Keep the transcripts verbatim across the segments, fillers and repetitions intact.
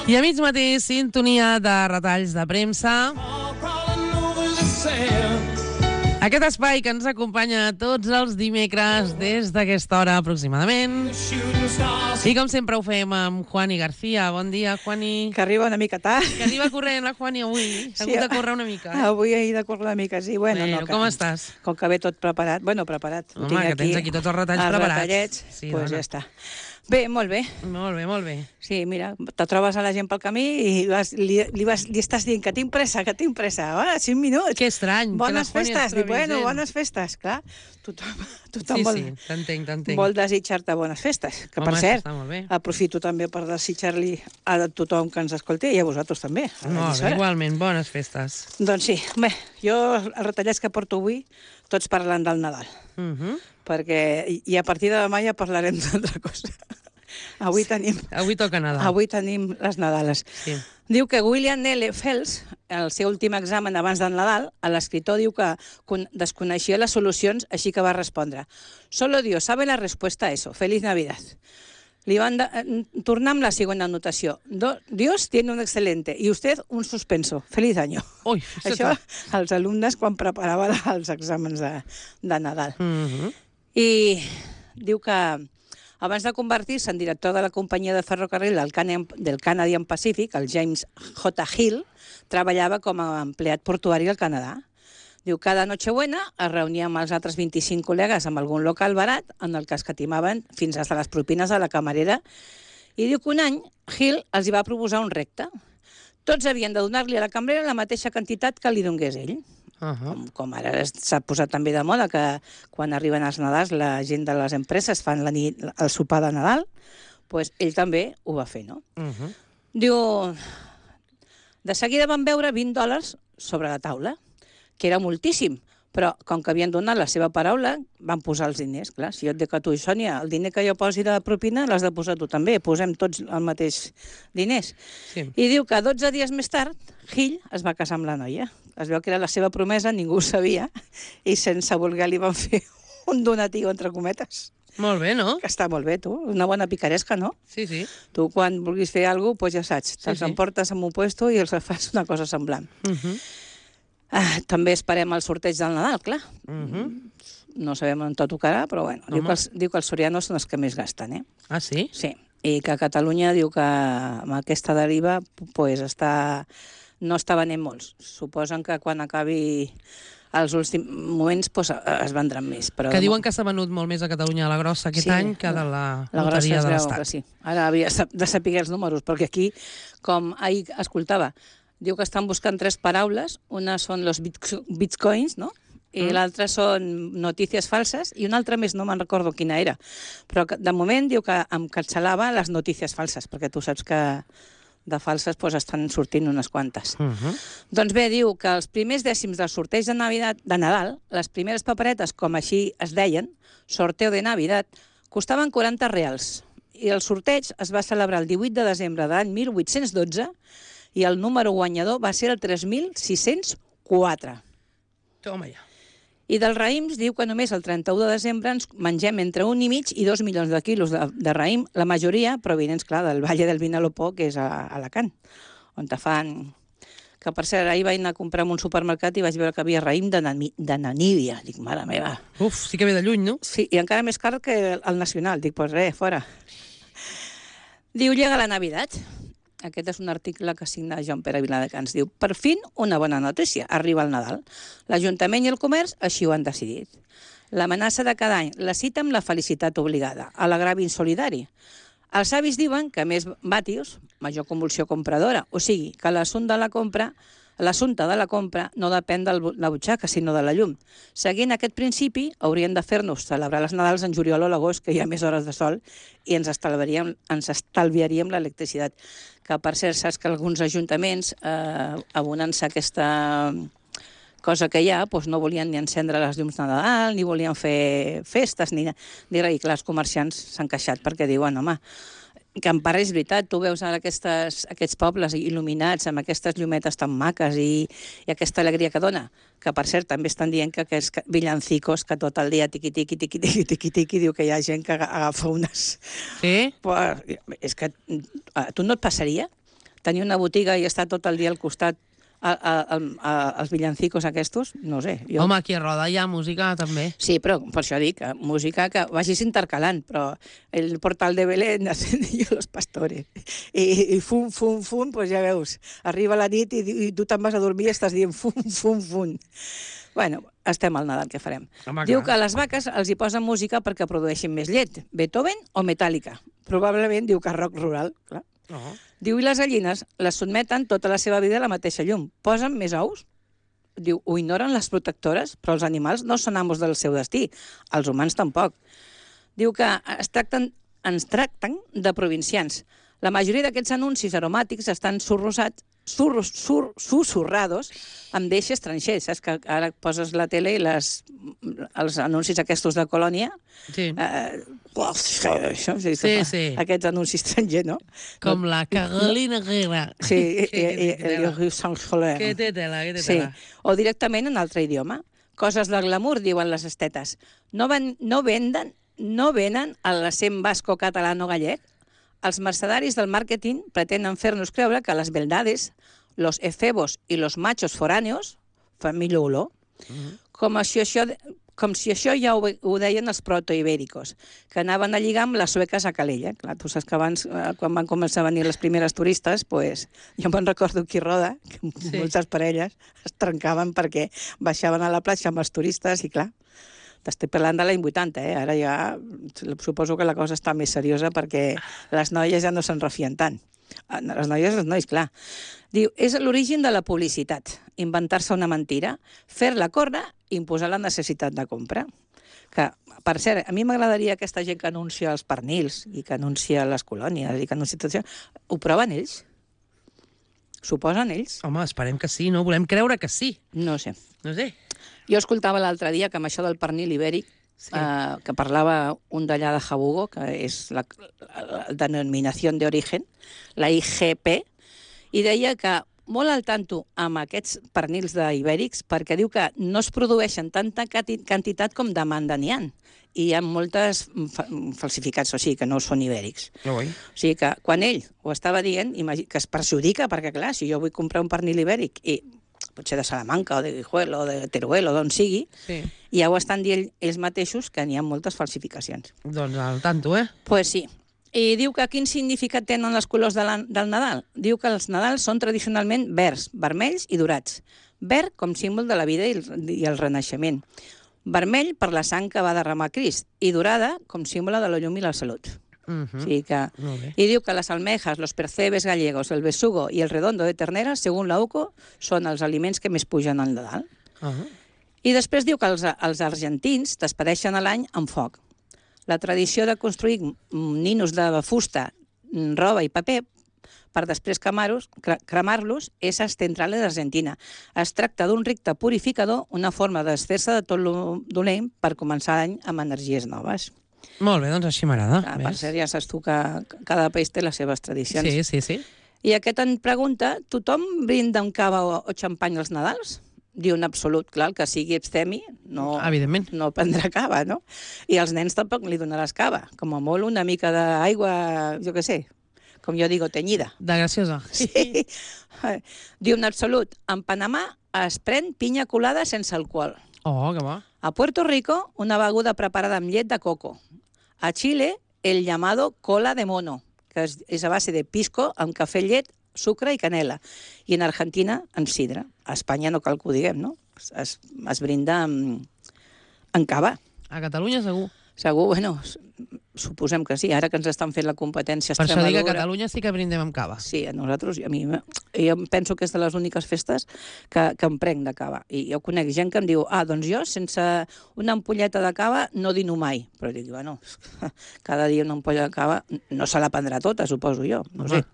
I a mig matí, sintonia de retalls de premsa. Aquest espai que ens acompanya tots els dimecres des d'aquesta hora aproximadament. I com sempre ho fem amb Juani García. Bon dia, Juani. Que arriba una mica tard. Que arriba corrent la Juani avui. S'ha hagut de córrer una mica. Eh? Avui he de córrer una mica, sí. Bueno, bueno no, que, com estàs? Com que ve tot preparat. Bueno, preparat. Home, que tens aquí tots els retalls els preparats. retallets, Sí, doncs dona. ja està. Bé, molt bé. Molt bé, molt bé. Sí, mira, te trobes a la gent pel camí i vas, li, li, vas, li estàs dient que tinc pressa, que tinc pressa. Ah, cinc minuts. Que estrany. Bones que la Juani festes. es Dic, trobi bueno, gent. bones festes, clar. Tothom, tothom Sí, vol, sí, t'entenc, t'entenc. vol desitjar-te bones festes. Que, Home, per això cert, està molt bé. aprofito també per desitjar-li a tothom que ens escolti i a vosaltres també. a la Molt bé, emissora. igualment, bones festes. Doncs sí, bé, jo els retallats que porto avui, tots parlant del Nadal, Uh -huh. perquè i, i a partir de demà ja parlarem d'altra cosa. Avui tenim, Avui toca Nadal. avui tenim les Nadales. Sí. Diu que William L. Phelps, el seu últim examen abans del Nadal, l'escriptor diu que con- desconeixia les solucions, així que va respondre: «Solo Dios sabe la respuesta a eso. Feliz Navidad». Li van de, eh, tornar amb la següent anotació. Do, Dios tiene un excelente y usted un suspenso. Feliz año. Ui, Això els alumnes quan preparaven els exàmens de, de Nadal. Uh -huh. I diu que abans de convertir-se en director de la companyia de ferrocarril del Canadian, del Canadian Pacific, el James J. Hill treballava com a empleat portuari al Canadà. Diu que cada Nochebuena es reunia amb els altres vint-i-cinc col·legues en algun local barat en el que escatimaven fins a les propines de la camarera. I diu que un any Hill els hi va proposar un repte. Tots havien de donar-li a la cambrera la mateixa quantitat que li donés ell. Uh -huh. Com, com ara s'ha posat també de moda que quan arriben els Nadals la gent de les empreses fan la nit, el sopar de Nadal, doncs ell també ho va fer, no? Uh -huh. Diu, de seguida van veure vint dòlars sobre la taula, que era moltíssim, però com que havien donat la seva paraula, van posar els diners. Clar, si jo et dic a tu, Sònia, el diner que jo posi de propina l'has de posar tu també, posem tots el mateix diners. Sí. I diu que dotze dies més tard, Hill es va casar amb la noia. Es veu que era la seva promesa, ningú ho sabia, i sense voler li van fer un donatiu, entre cometes. Molt bé, no? Que està molt bé, tu. Una bona picaresca, no? Sí, sí. Tu, quan vulguis fer alguna cosa, doncs ja saps, te'ls sí. emportes en un puesto i els fas una cosa semblant. Uh -huh. Ah, també esperem el sorteig del Nadal, clar. Uh -huh. No sabem on tot tocarà, però bueno, diu que, els, diu que els sorianos són els que més gasten, eh? Ah, sí? Sí, i que a Catalunya diu que amb aquesta deriva pues, està, no està venent molts. Suposen que quan acabi els últims moments pues, es vendran més. Però Que diuen que s'ha venut molt més a Catalunya a la grossa aquest Sí, any que de la, la grossa loteria es de veu l'Estat. que sí. Ara havia de saber els números, perquè aquí, com ahir escoltava, diu que estan buscant tres paraules. Una són los bitcoins, no? I Mm. l'altra són notícies falses, i una altra més, no me'n recordo quina era. Però que, de moment diu que em cancel·lava les notícies falses, perquè tu saps que de falses pues, estan sortint unes quantes. Uh -huh. Doncs bé, diu que els primers dècims del sorteig de, Navidad, de Nadal, les primeres paperetes, com així es deien, sorteo de Navidad, costaven quaranta reals. I el sorteig es va celebrar el divuit de desembre de l'any mil vuit-cents dotze i el número guanyador va ser el tres mil sis-cents quatre. Toma ja. I dels raïms diu que només el trenta-u de desembre ens mengem entre un i mig i dos milions de quilos de, de raïm, la majoria provinents, clar, del Valle del Vinalopó, que és a, a Alacant, on te fan... Que, per cert, ahir vaig anar a comprar en un supermercat i vaig veure que havia raïm de, Nami... de Namíbia. Dic, mare meva. Uf, sí que ve de lluny, no? Sí, i encara més car que el nacional. Dic, pues res, fora. Diu, llega la Navidad. Aquest és un article que signa Joan Pere Viladecans. Diu, per fin, una bona notícia. Arriba el Nadal. L'Ajuntament i el comerç així ho han decidit. L'amenaça de cada any, la cita amb la felicitat obligada, a l'agravi insolidari. Els avis diuen que més vàtios, major convulsió compradora, o sigui, que l'assumpte de la compra L'assumpte de la compra no depèn de la butxaca, sinó de la llum. Seguint aquest principi, haurien de fer-nos celebrar les Nadals en juliol o l'agost, que hi ha més hores de sol, i ens estalviaríem, ens estalviaríem l'electricitat. Que, per cert, saps que alguns ajuntaments, eh, abonant-se aquesta cosa que hi ha, doncs no volien ni encendre les llums de Nadal, ni volien fer festes, ni, ni res. I clar, els comerciants s'han queixat perquè diuen, home, que en part és veritat, tu veus ara aquestes, aquests pobles il·luminats amb aquestes llumetes tan maques i, i aquesta alegria que dona, que per cert també estan dient que aquests villancicos que tot el dia tiqui-tiqui, tiqui-tiqui, tiqui-tiqui, diu que hi ha gent que agafa unes... Sí? Però, és que a tu no et passaria? tenir una botiga i estar tot el dia al costat a, a, a, a, als villancicos aquests, no sé. Jo... Home, aquí a Roda hi ha música, també. Sí, però per això dic, música que vagis intercalant, però el portal de Belén ascendió los pastores. I, i fum, fum, fum, doncs ja veus, arriba la nit i, i tu te'n vas a dormir i estàs dient fum, fum, fum. Bueno, estem al Nadal, què farem? Home, Diu clar. que a les vaques els hi posen música perquè produeixin més llet, Beethoven o Metallica. Probablement diu que rock rural, clar. Oh. Diu, i les gallines les sotmeten tota la seva vida a la mateixa llum. Posen més ous? Diu, ho ignoren les protectores, però els animals no són amos del seu destí. Els humans tampoc. Diu que es tracten, ens tracten de provincians. La majoria d'aquests anuncis aromàtics estan surrosats, surros, sur, susurrados amb deixes estrangers. Saps que ara poses la tele i les, els anuncis aquests de colònia... Sí. Eh, això, sí, Sí, sí. Aquests anuncis estrangers, no? Com la Carolina Herrera. Sí, i, Que- i, que i, tela. i Sant Soler. Que té tela, que té Sí, tela. o directament en altre idioma. Coses del glamour, diuen les estetes. No, ven, no venden, no venen a l'acent basco catalano gallec. Els mercedaris del màrqueting pretenen fer-nos creure que les beldades, los efebos i los machos foráneos fan millor olor. Com si això... Com si això ja ho, ho deien els protoibèricos, que anaven a lligar amb les sueques a Calella. Clar, tu saps que abans, eh, quan van començar a venir les primeres turistes, pues, jo me'n recordo aquí a Roda, que Sí. moltes parelles es trencaven perquè baixaven a la platja amb els turistes i, clar, t'estic parlant de l'any vuitanta, eh? Ara ja suposo que la cosa està més seriosa perquè les noies ja no se'n refien tant. Les noies i els nois, clar. Diu, és l'origen de la publicitat, inventar-se una mentira, fer-la córrer i imposar la necessitat de compra. Que, per cert, a mi m'agradaria aquesta gent que anuncia els pernils i que anuncia les colònies i que anuncia tot això. Ho proven ells? S'ho posen ells? Home, esperem que sí, no? Volem creure que sí. No sé. No sé. Jo escoltava l'altre dia que amb això del pernil ibèric, Sí. eh, que parlava un d'allà de Jabugo, que és la, la denominació d'origen, la I G P, i deia que molt al tanto amb aquests pernils d'ibèrics perquè diu que no es produeixen tanta cati- quantitat com demanda n'hi ha. I hi ha moltes fa falsificats, o sigui, que no són ibèrics. No vull. O sigui que quan ell ho estava dient, imagi- que es perjudica, perquè clar, si jo vull comprar un pernil ibèric i potser de Salamanca o de Guijuelo o de Teruel o d'on sigui, Sí. ja ho estan dient ells mateixos que n'hi ha moltes falsificacions. Doncs al tanto, eh? Pues sí. I diu que quin significat tenen els colors de la, del Nadal. Diu que els Nadals són tradicionalment verds, vermells i dorats. Verd com símbol de la vida i el, i el renaixement. Vermell per la sang que va derramar Crist i dorada com símbol de la llum i la salut. Uh O sigui que... Molt bé. I diu que les almejas, los percebes gallegos, el besugo i el redondo de ternera, segons la U C O, són els aliments que més pugen al Nadal. Uh -huh. I després diu que els, els argentins despedeixen l'any amb foc. La tradició de construir ninos de fusta, roba i paper per després cremar-los cremar-los és ancestral d'Argentina. Es tracta d'un ricte purificador, una forma desfer-se de tot lo dolent per començar l'any amb energies noves. Molt bé, doncs així m'agrada. Ah, per cert, ja saps tu que cada país té les seves tradicions. Sí, sí, sí. I aquest en pregunta, tothom brinda amb cava o, o xampany als Nadals? Diu en absolut, clar, el que sigui abstemi no, Evidentment. no prendrà cava, no? I als nens tampoc li donaràs cava. Com a molt una mica d'aigua, jo què sé, com jo digo, tenyida. De graciosa. Sí. Diu en absolut, en Panamà es pren pinya colada sense alcohol. Oh, que va. A Puerto Rico, una beguda preparada amb llet de coco. A Xile, el llamado cola de mono, que és, és a base de pisco amb cafè, llet, sucre i canela. I en Argentina, amb sidra. A Espanya no cal que ho diguem, no? Es, es brinda amb, amb cava. A Catalunya segur. Segur, bueno, suposem que sí. Ara que ens estan fent la competència Per això dic que a Extremadura... Catalunya sí que brindem amb cava. Sí, a nosaltres, a mi, jo penso que és de les úniques festes que, que em prenc de cava. I jo conec gent que em diu, ah, doncs jo sense una ampolleta de cava no dino mai. Però dic, bueno, cada dia una ampolla de cava no se la prendrà tota, suposo jo, no Home. sé.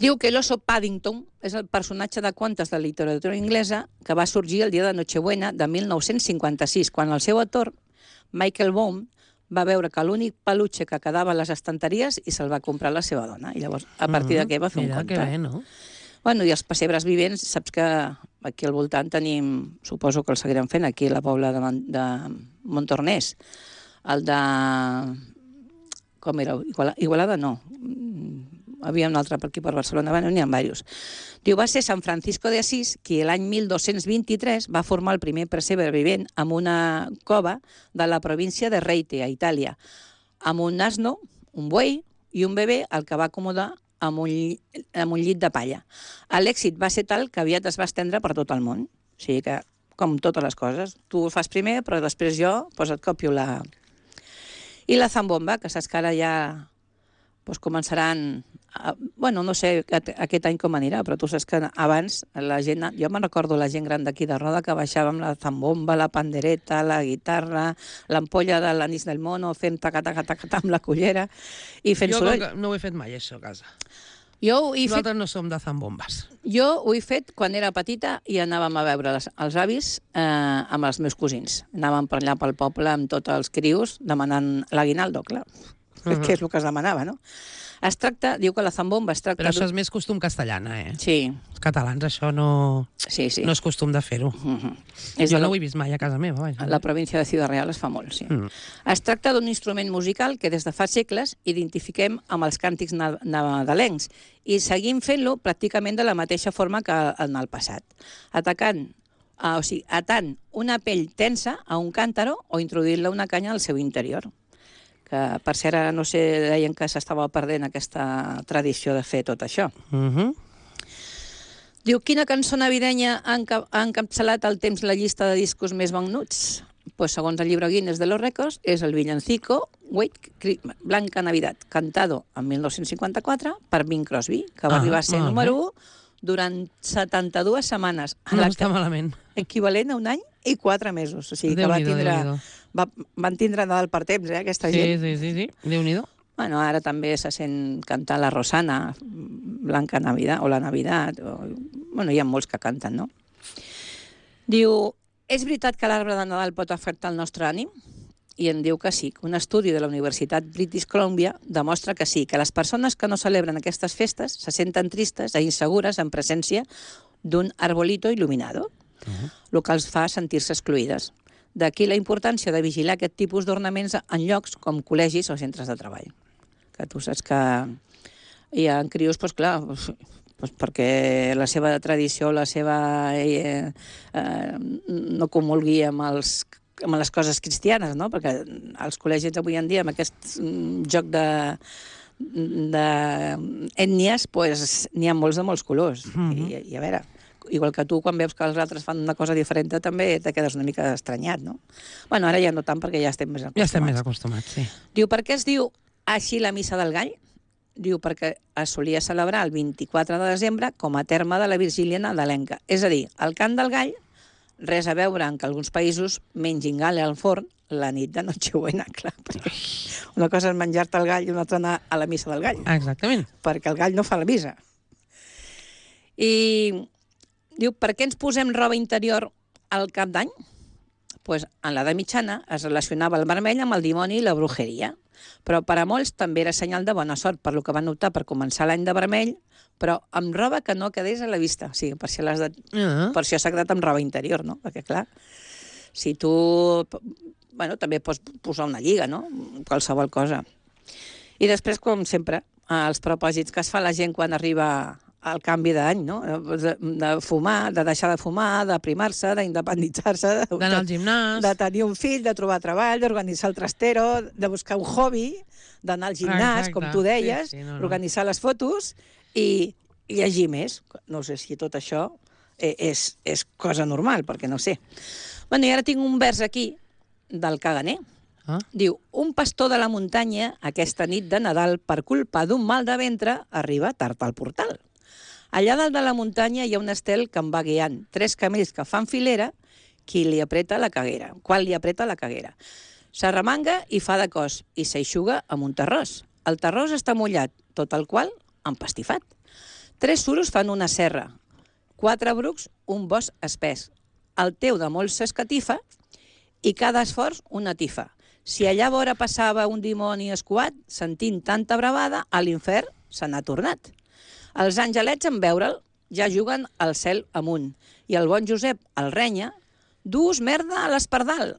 Diu que l'oso Paddington és el personatge de contes de literatura inglesa que va sorgir el dia de Nochebuena de mil nou-cents cinquanta-sis, quan el seu autor, Michael Baum, va veure que l'únic peluche que quedava a les estanteries i se'l va comprar la seva dona. I llavors, a partir d'aquí va fer un Mira, conte. que bé, no? Bueno, i els pessebres vivents, saps que aquí al voltant tenim, suposo que el seguirem fent, aquí a la Pobla de, Mon de Montornès, el de... com era? Igualada, Igualada no. havia un altre per aquí per Barcelona, bueno, n'hi ha diversos. Diu, va ser San Francisco de Asís qui l'any mil dos-cents vint-i-tres va formar el primer pessebre vivent en una cova de la província de Reite, a Itàlia, amb un asno, un buey i un bebè al que va acomodar amb un, amb un llit de palla. L'èxit va ser tal que aviat es va estendre per tot el món. O sigui que, com totes les coses, tu ho fas primer, però després jo pues, et copio la... I la zambomba, que saps que ara ja pues, començaran... A, bueno, no sé aquest any com anirà, però tu saps que abans la gent... Jo me'n recordo la gent gran d'aquí de Roda que baixava amb la zambomba, la pandereta, la guitarra, l'ampolla de l'anís del mono, fent taca-taca-taca amb la cullera i fent jo soroll. Jo no ho he fet mai, això, a casa. Jo ho he Nosaltres fet... no som de zambombes. Jo ho he fet quan era petita i anàvem a veure les, els avis eh, amb els meus cosins. Anàvem per allà pel poble amb tots els crios demanant l'aguinaldo, clar. Uh-huh. Que és el que es demanava, no? Es tracta, diu que la zambomba es tracta... Però això és més costum castellana, eh? Sí. Els catalans això no, sí, sí. no és costum de fer-ho. Uh-huh. Jo no ho he vist mai a casa meva. Vaja. La província de Ciudad Real es fa molt, sí. Uh-huh. Es tracta d'un instrument musical que des de fa segles identifiquem amb els càntics nadalencs i seguim fent-lo pràcticament de la mateixa forma que en el passat, atacant, uh, o sigui, atant una pell tensa a un càntaro o introduint-la una canya al seu interior. Que, per cert, ara no sé, deien que s'estava perdent aquesta tradició de fer tot això. Uh-huh. Diu, quina cançó navidenya ha, enca ha encapçalat al temps la llista de discos més venuts? Pues, segons el llibre Guinness de los Records, és el villancico Wait, Blanca Navidad, cantado en mil nou-cents cinquanta-quatre per Bing Crosby, que va ah, arribar a ser número u durant setanta-dues setmanes. No està malament. Equivalent a un any i quatre mesos. O sigui, que va tindre, va, van tindre Nadal per temps, eh, aquesta sí, gent. Sí, sí, sí. Déu-n'hi-do. Bueno, ara també se sent cantar la Rosana, Blanca Navidad, o la Navidad. O... Bueno, hi ha molts que canten, no? Diu, és veritat que l'arbre de Nadal pot afectar el nostre ànim? I en diu que sí. Un estudi de la Universitat British Columbia demostra que sí, que les persones que no celebren aquestes festes se senten tristes i insegures en presència d'un arbolito il·luminado, uh-huh. el que els fa sentir-se excluïdes. D'aquí la importància de vigilar aquest tipus d'ornaments en llocs com col·legis o centres de treball. Que tu saps que hi ha crios, doncs clar, doncs perquè la seva tradició, la seva... Eh, eh, no comulgui amb els amb les coses cristianes, no? Perquè als col·legis avui en dia, amb aquest joc de d'ètnies, pues, n'hi ha molts de molts colors. Mm-hmm. I, I a veure, igual que tu, quan veus que els altres fan una cosa diferent, també te quedes una mica estranyat, no? Bueno, ara ja no tant, perquè ja estem més acostumats. Ja estem més acostumats, sí. Diu, per què es diu així la missa del gall? Diu, perquè es solia celebrar el vint-i-quatre de desembre com a terme de la vigília nadalenca. És a dir, el cant del gall, res a veure en que alguns països mengin gall al forn la nit de Nochebuena, clar, perquè una cosa és menjar-te el gall i una altra anar a la missa del gall. Exactament. Perquè el gall no fa la missa. I diu, per què ens posem roba interior al cap d'any? Pues, en l'edat mitjana es relacionava el vermell amb el dimoni i la brujeria, però per a molts també era senyal de bona sort, per lo que van optar per començar l'any de vermell, però amb roba que no quedés a la vista. O sigui, per això, de... uh-huh. per això s'ha quedat amb roba interior, no? Perquè, clar, si tu... Bueno, també pots posar una lliga, no? Qualsevol cosa. I després, com sempre, els propòsits que es fa la gent quan arriba al canvi d'any, no? De, de fumar, de deixar de fumar, d'aprimar-se, d'independitzar-se... D'anar al gimnàs... De tenir un fill, de trobar treball, d'organitzar el trastero, de buscar un hobby, d'anar al gimnàs, exacte, com tu deies, sí, sí, no, no. organitzar les fotos i llegir més. No sé si tot això és, és cosa normal, perquè no sé. Bueno, i ara tinc un vers aquí del caganer. Ah. Diu, un pastor de la muntanya aquesta nit de Nadal per culpa d'un mal de ventre arriba tard al portal. Allà dalt de la muntanya hi ha un estel que em va guiant, tres camells que fan filera, qui li apreta la caguera, qual li apreta la caguera. S'arremanga i fa de cos i s'eixuga amb un terròs. El terròs està mullat, tot el qual empastifat. Tres suros fan una serra, quatre brucs un bosc espès. El teu de molts s'escatifa i cada esforç una tifa. Si allà vora passava un dimoni escuat, sentint tanta bravada, a l'infern se n'ha tornat. Els angelets, en veure'l, ja juguen al cel amunt. I el bon Josep el renya, dus merda a l'espardal.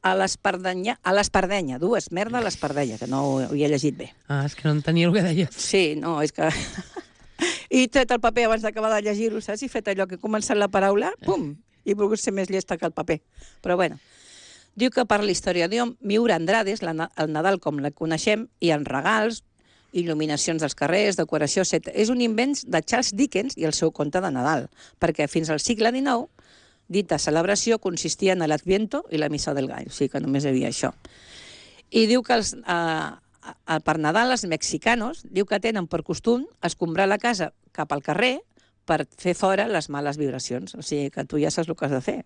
a l'Espardenya, a l'Espardenya, dues, merda a l'Espardenya, que no ho havia llegit bé. Ah, és que no entenia el que deies. Sí, no, és que... I he tret el paper abans d'acabar de llegir-ho, saps? I he fet allò que he començat la paraula, pum, i he volgut ser més llesta que el paper. Però bueno, diu que per la història de Miura Andrades, la, el Nadal com la coneixem, hi ha regals, il·luminacions dels carrers, decoració, etcètera. És un invent de Charles Dickens i el seu conte de Nadal, perquè fins al segle dinou dita celebració consistia en l'Adviento i la Missa del Gall, o sigui que només hi havia això. I diu que els, eh, per Nadal els mexicanos diu que tenen per costum escombrar la casa cap al carrer per fer fora les males vibracions, o sigui que tu ja saps el que has de fer.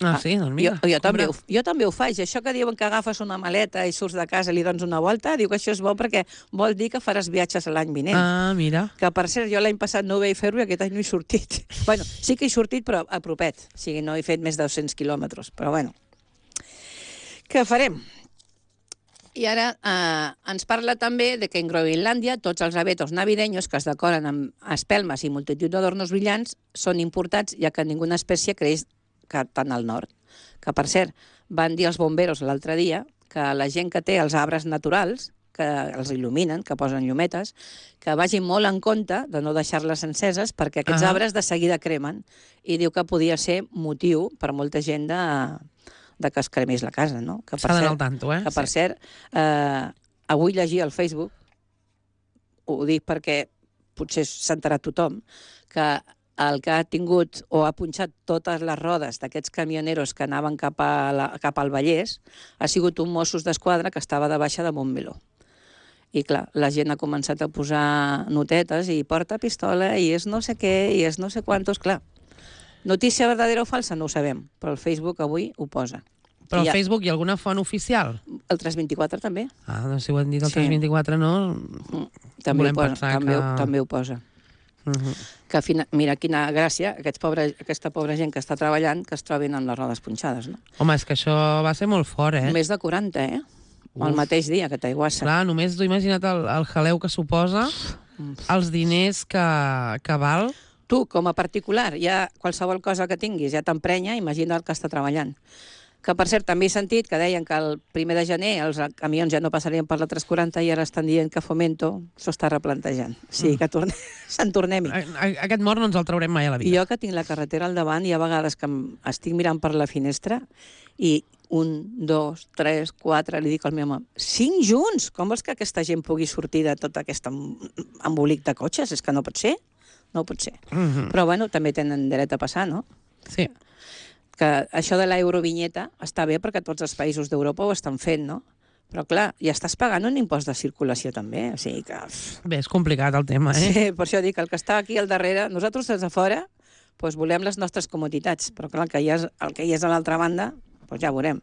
Ah, sí? Doncs mira. Jo, jo, també ho, jo també ho faig. Això que diuen que agafes una maleta i surts de casa i li dones una volta, diu que això és bo perquè vol dir que faràs viatges l'any vinent. Ah, mira. Que, per cert, jo l'any passat no ho vaig fer-ho i aquest any no he sortit. Bueno, sí que he sortit, però a propet. O sigui, no he fet més de dos-cents quilòmetres. Però, bueno, què farem? I ara eh, ens parla també de que en Groenlàndia tots els abetos navideños que es decoren amb espelmes i multitud d'adornos brillants són importats, ja que ninguna espècie creix que tant al nord. Que, per cert, van dir els bomberos l'altre dia que la gent que té els arbres naturals, que els il·luminen, que posen llumetes, que vagin molt en compte de no deixar-les enceses perquè aquests ah. arbres de seguida cremen. I diu que podia ser motiu per molta gent de, de que es cremés la casa, no? S'ha d'anar al tanto, eh? Que, per sí. cert, eh, avui llegia al Facebook, ho dic perquè potser s'ha enterat tothom, que el que ha tingut o ha punxat totes les rodes d'aquests camioneros que anaven cap, a la, cap al Vallès ha sigut un Mossos d'Esquadra que estava de baixa de Montmeló. I clar, la gent ha començat a posar notetes i porta pistola i és no sé què i és no sé quantos, clar. Notícia verdadera o falsa no ho sabem, però el Facebook avui ho posa. Però al ha... Facebook hi ha alguna font oficial? El tres vint-i-quatre també. Ah, doncs si ho han dit el sí. tres vint-i-quatre no... Mm, també, ho posa, també, que... també ho posa. Uh -huh. Que fina, mira quina gràcia, aquests pobre, aquesta pobra gent que està treballant, que es trobin amb les rodes punxades, no? Home, és que això va ser molt fort, eh? Més de quaranta, eh? Uf. El mateix dia que t'aiguassa. Clar, només t'ho imagina't el, el jaleu que suposa, Uf. els diners que, que val. Tu, com a particular, ja qualsevol cosa que tinguis ja t'emprenya, imagina el que està treballant. Que, per cert, també he sentit que deien que el primer de gener els camions ja no passarien per la tres quaranta i ara estan dient que Fomento s'ho està replantejant. O sigui, que torne... se'n tornem-hi. Aquest mort no ens el traurem mai a la vida. Jo que tinc la carretera al davant, hi ha vegades que estic mirant per la finestra i un, dos, tres, quatre, li dic al meu home, cinc junts! Com vols que aquesta gent pugui sortir de tot aquest embolic de cotxes? És que no pot ser. No pot ser. Mm-hmm. Però, bueno, també tenen dret a passar, no? Sí. Que això de l'eurovinyeta està bé perquè tots els països d'Europa ho estan fent, no? Però, clar, ja estàs pagant un impost de circulació també, o sigui que... Bé, és complicat el tema, eh? Sí, per això dic, el que està aquí al darrere, nosaltres des de fora, doncs volem les nostres comoditats, però clar, el que hi ha, el que hi és a l'altra banda, doncs ja veurem.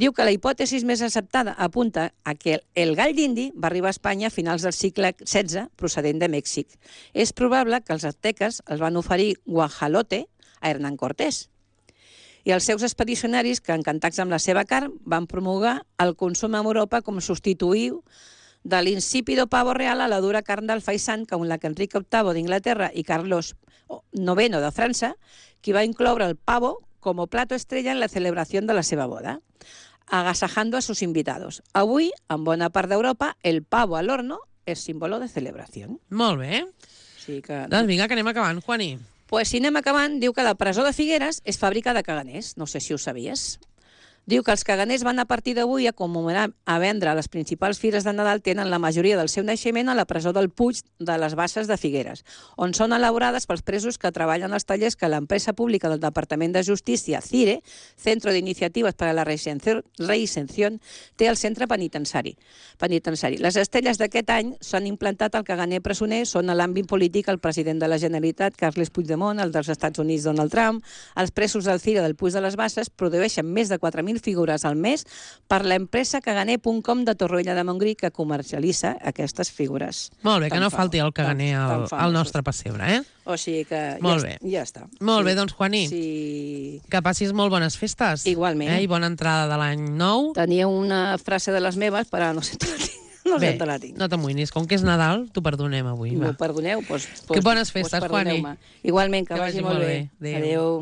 Diu que la hipòtesi més acceptada apunta a que el gall d'indi va arribar a Espanya a finals del segle setze, procedent de Mèxic. És probable que els azteques els van oferir guajalote a Hernán Cortés, i els seus expedicionaris, que encantats amb la seva carn, van promulgar el consum a Europa com substituïu de l'insípido pavo real a la dura carn del faisán, com la que Enric octavo d'Inglaterra i Carlos noveno de França, qui va incloure el pavo como plato estrella en la celebració de la seva boda, agasajando a sus invitados. Avui, en bona part d'Europa, el pavo al horno és símbolo de celebració. Molt bé. Sí que... Doncs vinga, que anem acabant, Juani. Pues si anem acabant, diu que la presó de Figueres és fàbrica de caganers. No sé si ho sabies. Diu que els caganers van a partir d'avui a commemorar a vendre a les principals fires de Nadal tenen la majoria del seu naixement a la presó del Puig de les Basses de Figueres, on són elaborades pels presos que treballen als tallers que l'empresa pública del Departament de Justícia, CIRE, Centro de Iniciativas para la Reinserción, té el centre penitenciari. penitenciari. Les estelles d'aquest any s'han implantat al caganer presoner, són a l'àmbit polític el president de la Generalitat, Carles Puigdemont, el dels Estats Units, Donald Trump, els presos del CIRE del Puig de les Basses produeixen més de quatre mil figures al mes per l'empresa caganer punt com de Torroella de Montgrí, que comercialitza aquestes figures. Molt bé, que no falti el caganer al, al nostre pessebre, eh? O sigui que molt ja, bé. ja està. Molt sí. bé, doncs, Juaní, sí. que passis molt bones festes. Igualment. Eh? I bona entrada de l'any nou. Tenia una frase de les meves, però no sé te la tinc. No bé, sé te la tinc. No t'amoïnis, com que és Nadal, t'ho perdonem avui. M'ho perdoneu? Doncs, que bones festes, doncs Juani. Igualment, que, que vagi, vagi molt bé. bé. Adéu. Adéu.